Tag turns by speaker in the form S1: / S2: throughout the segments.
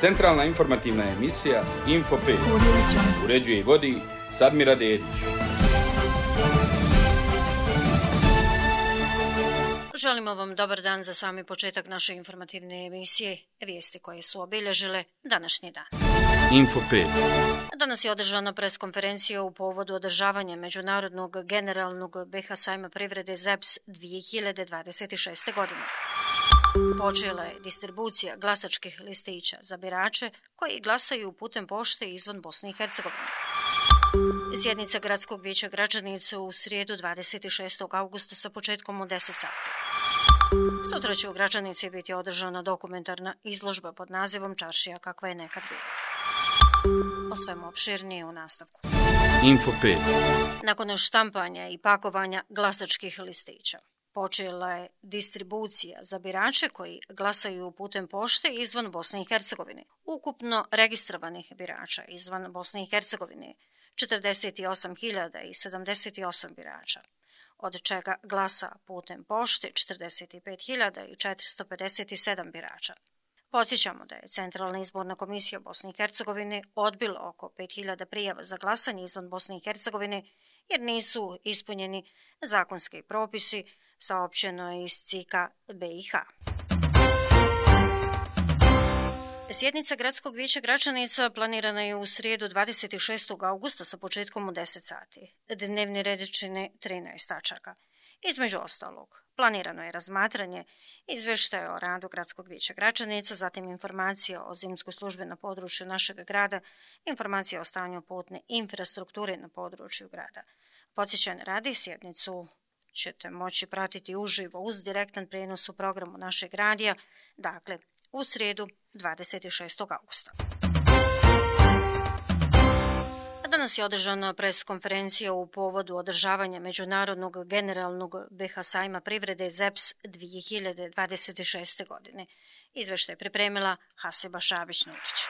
S1: Centralna informativna emisija Info 5. Uređuje i vodi Sadmira Dedić.
S2: Želimo vam dobar dan za sami početak naše informativne emisije, vijesti koje su obilježile današnji dan.
S1: Info 5.
S2: Danas je održana preskonferencija u povodu održavanja Međunarodnog generalnog BiH sajma privrede ZEPS 2026. godine. Počela je distribucija glasačkih listića za birače koji glasaju putem pošte izvan Bosne i Hercegovine. Sjednica Gradskog vijeća Gračanice u srijedu 26. augusta sa početkom u 10 sati. Sutra će u Gračanici biti održana dokumentarna izložba pod nazivom Čaršija kakva je nekad bila. O svemu opširnije u nastavku.
S1: Info 5.
S2: Nakon štampanja i pakovanja glasačkih listića, počela je distribucija za birače koji glasaju putem pošte izvan Bosne i Hercegovine. Ukupno registrovanih birača izvan Bosne i Hercegovine 48.078 birača, od čega glasa putem pošte 45.457 birača. Podsjećamo da je Centralna izborna komisija Bosne i Hercegovine odbila oko 5.000 prijava za glasanje izvan Bosne i Hercegovine jer nisu ispunjeni zakonski propisi, saopćeno je iz CIK-a BiH. Sjednica Gradskog vijeća Gračanica planirana je u srijedu 26. augusta sa početkom u 10 sati. Dnevni red čine 13 tačaka. Između ostalog, planirano je razmatranje izvještaja o radu Gradskog vijeća Gračanica, zatim informacija o zimskoj službi na području našeg grada, informacija o stanju putne infrastrukture na području grada. Podsjećanje radi, sjednicu ćete moći pratiti uživo uz direktan prijenos u programu našeg radija, dakle u srijedu 26. augusta. Danas je održana preskonferencija u povodu održavanja Međunarodnog generalnog BiH sajma privrede ZEPS 2026. godine. Izvještaj je pripremila Hasiba Šabić-Nurić.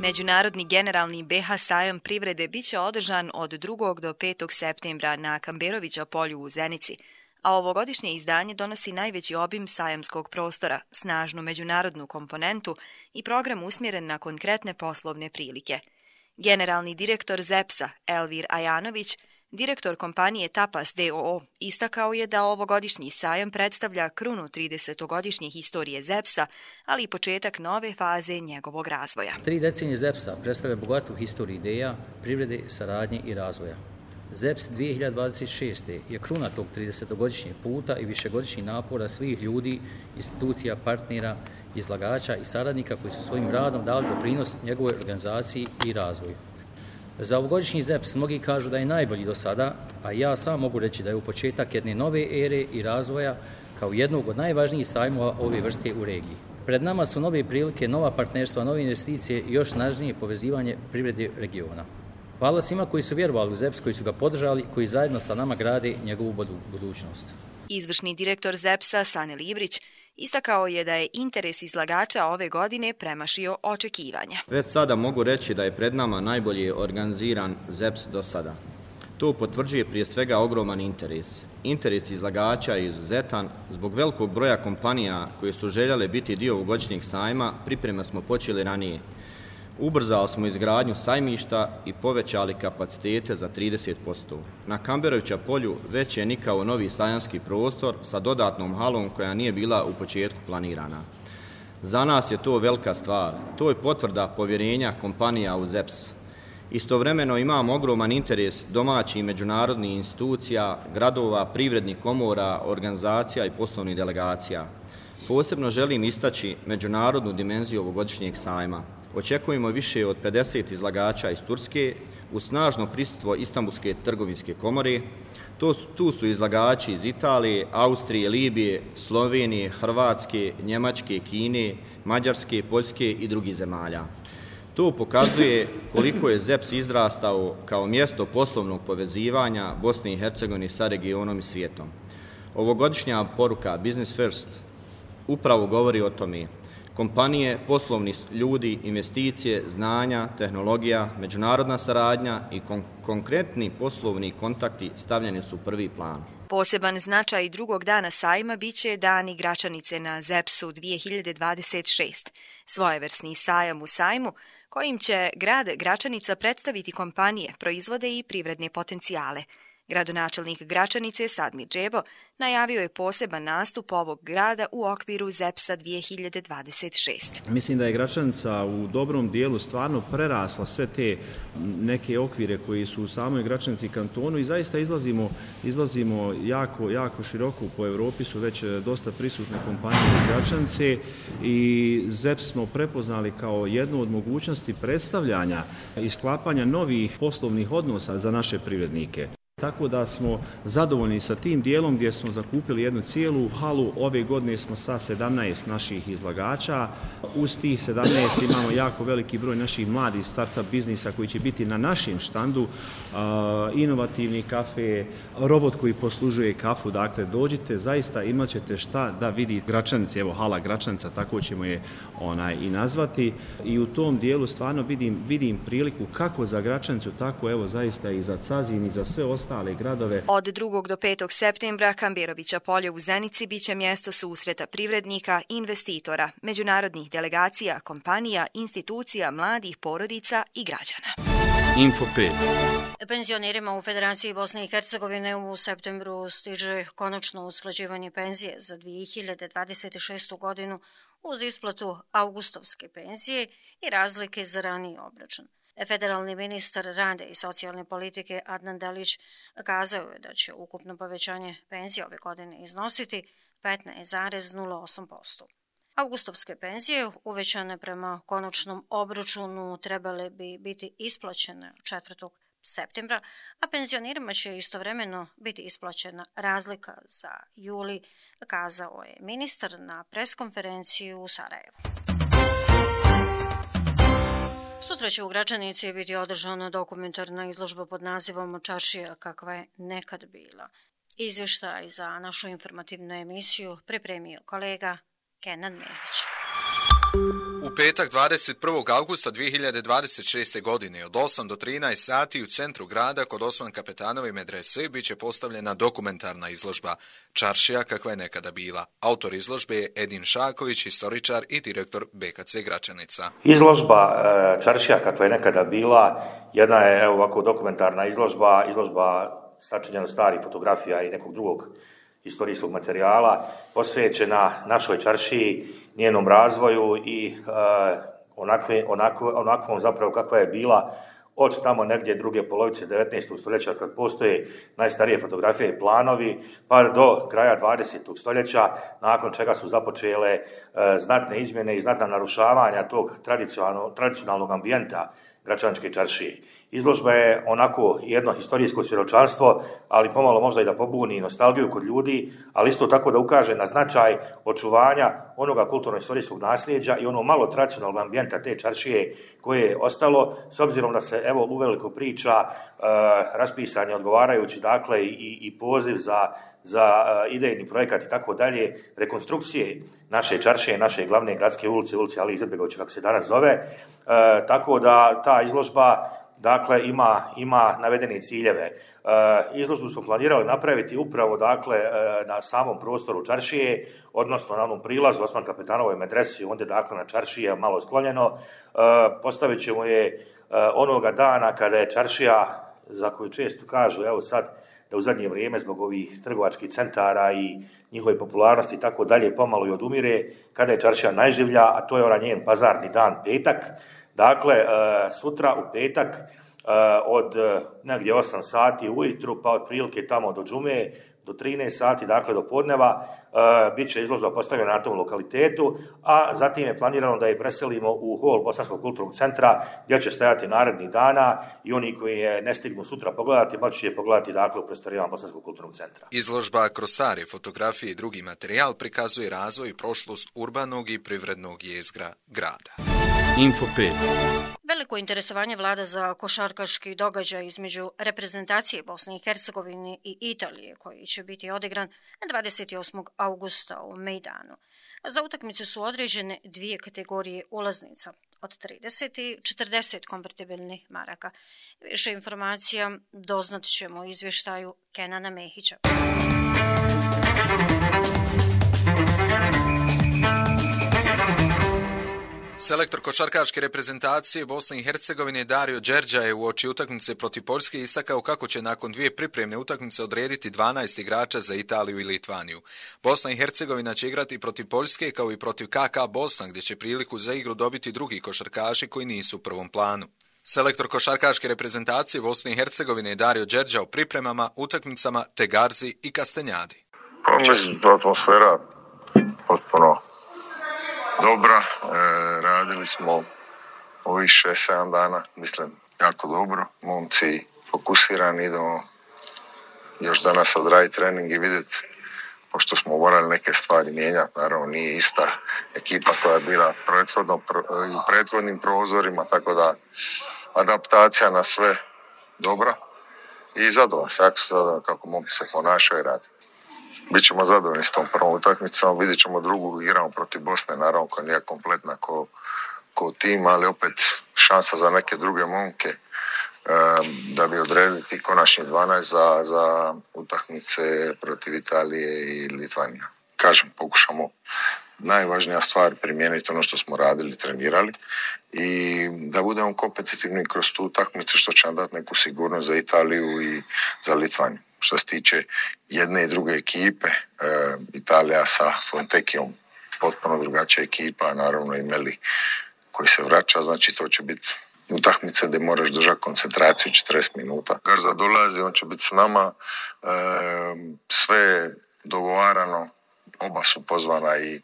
S3: Međunarodni generalni BiH sajam privrede biće održan od 2. do 5. septembra na Kamberovića polju u Zenici, a ovogodišnje izdanje donosi najveći obim sajamskog prostora, snažnu međunarodnu komponentu i program usmjeren na konkretne poslovne prilike. Generalni direktor ZEPS-a Elvir Ajanović, direktor kompanije Tapas d.o.o. istakao je da ovogodišnji sajam predstavlja krunu 30-godišnje historije ZEPS-a, ali i početak nove faze njegovog razvoja.
S4: 3 decenije ZEPS-a predstavlja bogatu historiju ideja, privrede, saradnje i razvoja. ZEPS 2026. je kruna tog 30-godišnjeg puta i višegodišnjih napora svih ljudi, institucija, partnera, izlagača i saradnika koji su svojim radom dali doprinos njegovoj organizaciji i razvoju. Za ovogodišnji ZEPS mnogi kažu da je najbolji do sada, a ja sam mogu reći da je u početak jedne nove ere i razvoja kao jednog od najvažnijih sajmova ove vrste u regiji. Pred nama su nove prilike, nova partnerstva, nove investicije i još snažnije povezivanje privrede regiona. Hvala svima koji su vjerovali u ZEPS, koji su ga podržali, koji zajedno sa nama grade njegovu budućnost.
S3: Izvršni direktor ZEPS-a Sane Librić istakao je da je interes izlagača ove godine premašio očekivanja.
S5: Već sada mogu reći da je pred nama najbolje organiziran ZEPS do sada. To potvrđuje prije svega ogroman interes. Interes izlagača je izuzetan. Zbog velikog broja kompanija koje su željele biti dio ovogodišnjeg sajma, pripreme smo počeli ranije. Ubrzali smo izgradnju sajmišta i povećali kapacitete za 30%. Na Kamberovića polju već je nikao novi sajamski prostor sa dodatnom halom koja nije bila u početku planirana. Za nas je to velika stvar. To je potvrda povjerenja kompanija u ZEPS. Istovremeno imamo ogroman interes domaćih i međunarodnih institucija, gradova, privrednih komora, organizacija i poslovnih delegacija. Posebno želim istaći međunarodnu dimenziju ovogodišnjeg sajma. Očekujemo više od 50 izlagača iz Turske uz snažno prisustvo Istanbulske trgovinske komore. Tu su izlagači iz Italije, Austrije, Libije, Slovenije, Hrvatske, Njemačke, Kine, Mađarske, Poljske i drugih zemalja. To pokazuje koliko je ZEPS izrastao kao mjesto poslovnog povezivanja Bosne i Hercegovine sa regionom i svijetom. Ovogodišnja poruka Business First upravo govori o tome. Kompanije, poslovni ljudi, investicije, znanja, tehnologija, međunarodna saradnja i konkretni poslovni kontakti stavljeni su u prvi plan.
S3: Poseban značaj drugog dana sajma biće Dani Gračanice na ZEPS-u 2026, svojevrsni sajam u sajmu kojim će grad Gračanica predstaviti kompanije, proizvode i privredne potencijale. Gradonačelnik Gračanice Sadmir Džebo najavio je poseban nastup ovog grada u okviru ZEPS-a 2026.
S6: Mislim da je Gračanica u dobrom dijelu stvarno prerasla sve te neke okvire koji su u samoj Gračanici kantonu i zaista izlazimo jako široko. Po Europi su već dosta prisutne kompanije iz Gračanice i ZEPS smo prepoznali kao jednu od mogućnosti predstavljanja i sklapanja novih poslovnih odnosa za naše privrednike. Tako da smo zadovoljni sa tim dijelom gdje smo zakupili jednu cijelu halu. Ove godine smo sa 17 naših izlagača. Uz tih 17 imamo jako veliki broj naših mladih start-up biznisa koji će biti na našem štandu. Inovativni kafe, robot koji poslužuje kafu. Dakle, dođite, zaista imat ćete šta da vidi Gračanici. Evo, hala Gračanica, tako ćemo je i nazvati. I u tom dijelu stvarno vidim priliku kako za Gračanicu, tako evo zaista i za Cazin i za sve ostale gradove.
S3: Od 2. do 5. septembra Kamberovića polje u Zenici biće mjesto susreta privrednika, investitora, međunarodnih delegacija, kompanija, institucija, mladih, porodica i građana.
S1: Info 5.
S2: Penzionerima u Federaciji Bosne i Hercegovine u septembru stiže konačno usklađivanje penzije za 2026. godinu uz isplatu avgustovske penzije i razlike za raniji obračun. Federalni ministar rada i socijalne politike Adnan Delić kazao je da će ukupno povećanje penzije ove godine iznositi 15,08%. Avgustovske penzije uvećane prema konačnom obračunu trebale bi biti isplaćene 4. septembra, a penzionerima će istovremeno biti isplaćena razlika za juli, kazao je ministar na preskonferenciji u Sarajevu. Sutra će u Gračanici biti održana dokumentarna izložba pod nazivom Čaršija kakva je nekad bila. Izvještaj za našu informativnu emisiju pripremio kolega Kenan Mehić.
S7: U petak 21. augusta 2026. godine od 8 do 13 sati u centru grada kod Osman Kapetanove medrese bit će postavljena dokumentarna izložba Čaršija kakva je nekada bila. Autor izložbe je Edin Šaković, historičar i direktor BKC Gračanica.
S8: Izložba Čaršija kakva je nekada bila jedna je ovako dokumentarna izložba sačinjena starih fotografija i nekog drugog historijskog materijala posvećena našoj čaršiji, njenom razvoju i onakvom zapravo kakva je bila od tamo negdje druge polovice 19. stoljeća, od kad postoje najstarije fotografije i planovi, pa do kraja 20. stoljeća, nakon čega su započele znatne izmjene i znatna narušavanja tog tradicionalnog ambijenta Gračaničke čaršije. Izložba je onako jedno historijsko svjedočanstvo, ali pomalo možda i da pobuni nostalgiju kod ljudi, ali isto tako da ukaže na značaj očuvanja onoga kulturno-historijskog nasljeđa i ono malo tradicionalnog ambijenta te čaršije koje je ostalo, s obzirom da se evo uveliko priča, raspisan je odgovarajući dakle i poziv za idejni projekat i tako dalje, rekonstrukcije naše čaršije, naše glavne gradske ulice Ali Izetbegovića, kako se danas zove, tako da ta izložba dakle ima navedene ciljeve. Izložbu smo planirali napraviti upravo dakle na samom prostoru čaršije, odnosno na onom prilazu Osman Kapetanove medresi, ondje dakle na čaršije malo sklonjeno. Postavit ćemo je onoga dana kada je čaršija, za koju često kažu evo sad da u zadnje vrijeme zbog ovih trgovačkih centara i njihove popularnosti i tako dalje pomalo i odumire, kada je čaršija najživlja, a to je onaj njen pazarni dan, petak. Dakle, sutra u petak od negdje 8 sati ujutru, pa otprilike tamo do džume, do 13 sati, dakle do podneva, bit će izložba postavljena na tom lokalitetu, a zatim je planirano da je preselimo u hol Bosanskog kulturnog centra, gdje će stajati narednih dana i oni koji je ne stignu sutra pogledati, moći će je pogledati dakle u prostorijama Bosanskog kulturnog centra.
S7: Izložba kroz stare fotografije i drugi materijal prikazuje razvoj i prošlost urbanog i privrednog jezgra grada.
S1: Info 5.
S2: Veliko interesovanje vlada za košarkaški događaj između reprezentacije Bosne i Hercegovine i Italije, koji će biti odigran 28. augusta u Mejdanu. Za utakmicu su određene dvije kategorije ulaznica, od 30 i 40 konvertibilnih maraka. Više informacija doznat ćemo u izvještaju Kenana Mehića.
S7: Selektor košarkaške reprezentacije Bosne i Hercegovine Dario Đerđa je uoči utakmice protiv Poljske istakao kako će nakon 2 pripremne utakmice odrediti 12 igrača za Italiju i Litvaniju. Bosna i Hercegovina će igrati protiv Poljske kao i protiv KK Bosna, gdje će priliku za igru dobiti drugi košarkaši koji nisu u prvom planu. Selektor košarkaške reprezentacije Bosne i Hercegovine Dario Đerđa o pripremama, utakmicama te Garzi i Kastanjadi.
S9: Pa mislim, atmosfera potpuno dobra, radili smo ovih 6-7 dana, mislim, jako dobro. Momci fokusirani, idemo još danas odraditi trening i vidjeti, pošto smo morali neke stvari mijenjati, naravno nije ista ekipa koja je bila i prethodnim prozorima, tako da adaptacija na sve dobra i zadovoljno, jako se zadovoljno kako momci se ponašaju i radi. Bićemo zadovoljni s tom prvom utakmicom, vidjet ćemo drugu, igramo protiv Bosne, naravno koja nije kompletna ko tim, ali opet šansa za neke druge momke da bi odredili ti konačni 12 za utakmice protiv Italije i Litvanije. Kažem, pokušamo najvažnija stvar primijeniti ono što smo radili, trenirali i da budemo kompetitivni kroz tu utakmicu što će nam dati neku sigurnost za Italiju i za Litvaniju. Što se tiče jedne i druge ekipe, Italija sa Fontekijom, potpuno drugačija ekipa, naravno i Meli koji se vraća, znači to će biti utakmice gdje moraš držati koncentraciju 40 minuta. Garza dolazi, on će biti s nama, sve dogovarano, oba su pozvana i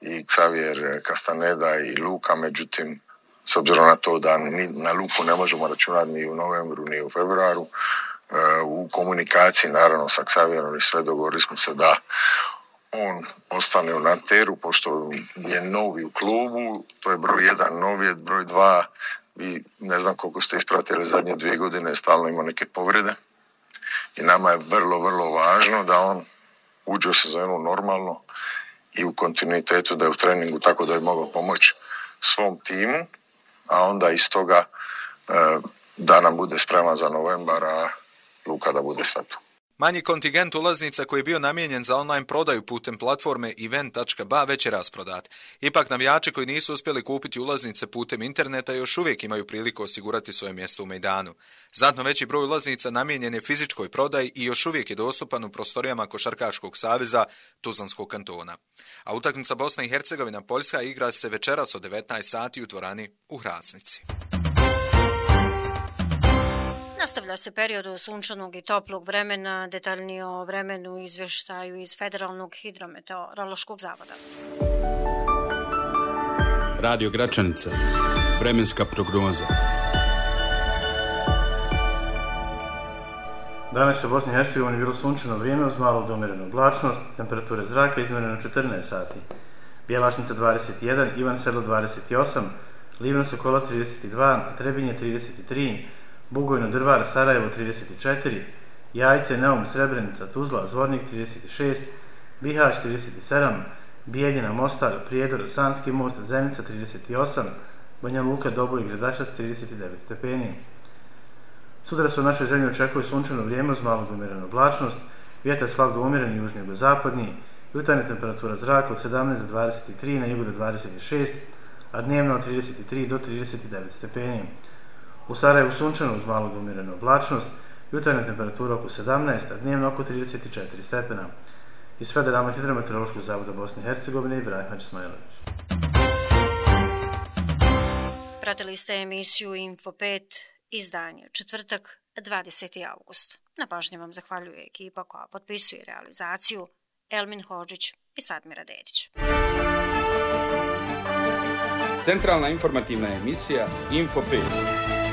S9: Xavier Castaneda i Luka, međutim, s obzirom na to da na Luku ne možemo računati ni u novembru ni u februaru, u komunikaciji naravno sa Xavierom i sve dogovorili smo se da on ostane u Nanteru pošto je novi u klubu, to je broj 1, novi je broj 2, vi ne znam koliko ste ispratili zadnje 2 godine, stalno ima neke povrede i nama je vrlo, vrlo važno da on uđe u sezonu normalno i u kontinuitetu da je u treningu tako da je mogao pomoći svom timu, a onda iz toga da nam bude spreman za novembar, a Luka da bude sad tu.
S7: Manji kontingent ulaznica koji je bio namijenjen za online prodaju putem platforme event.ba već je rasprodat. Ipak navijači koji nisu uspjeli kupiti ulaznice putem interneta još uvijek imaju priliku osigurati svoje mjesto u mejdanu. Znatno veći broj ulaznica namijenjen je fizičkoj prodaji i još uvijek je dostupan u prostorijama Košarkaškog saveza Tuzlanskog kantona. A utakmica Bosna i Hercegovina Poljska igra se večeras od 19 sati u dvorani u Hracnici.
S2: Nastavlja se period sunčanog i toplog vremena, detaljnije o vremenu izvještaju iz Federalnog hidrometeorološkog zavoda.
S1: Radio Gračanica. Vremenska prognoza.
S10: Danas je u Bosni i Hercegovini bilo sunčano vrijeme uz malo do umjerenu oblačnost, temperature zraka izmjerene 14 sati. Bjelašnica 21, Ivan Sedlo 28, Livno Sokola 32, Trebinje 33, Bugojno Drvar, Sarajevo 34, Jajce, Neum, Srebrenica, Tuzla, Zvornik 36, Bihać 37, Bijeljina, Mostar, Prijedor, Sanski most, Zenica 38, Banja Luka, Doboj i Gradačac 39 stepeni. Sutra se u našoj zemlji očekuje sunčano vrijeme uz malo do umjerenu oblačnost, vjetar slab do umjeren južni jugozapadni, jutarnja temperatura zraka od 17 do 23, na jugu do 26, a dnevno od 33 do 39 stepeni. U Sarajevu sunčano uz malo do umjerenu oblačnost, jutarnja temperatura oko 17, a dnevno oko 34 stepena. Iz Federalnog hidrometeorološkog zavoda Bosne i Hercegovine Ibrahim Hadžismailović.
S2: Pratili ste emisiju Info 5, izdanje četvrtak, 20. august. Na pažnji vam zahvaljuje ekipa koja potpisuje realizaciju Elmin Hodžić i Sadmira Dedić.
S1: Centralna informativna emisija Info 5.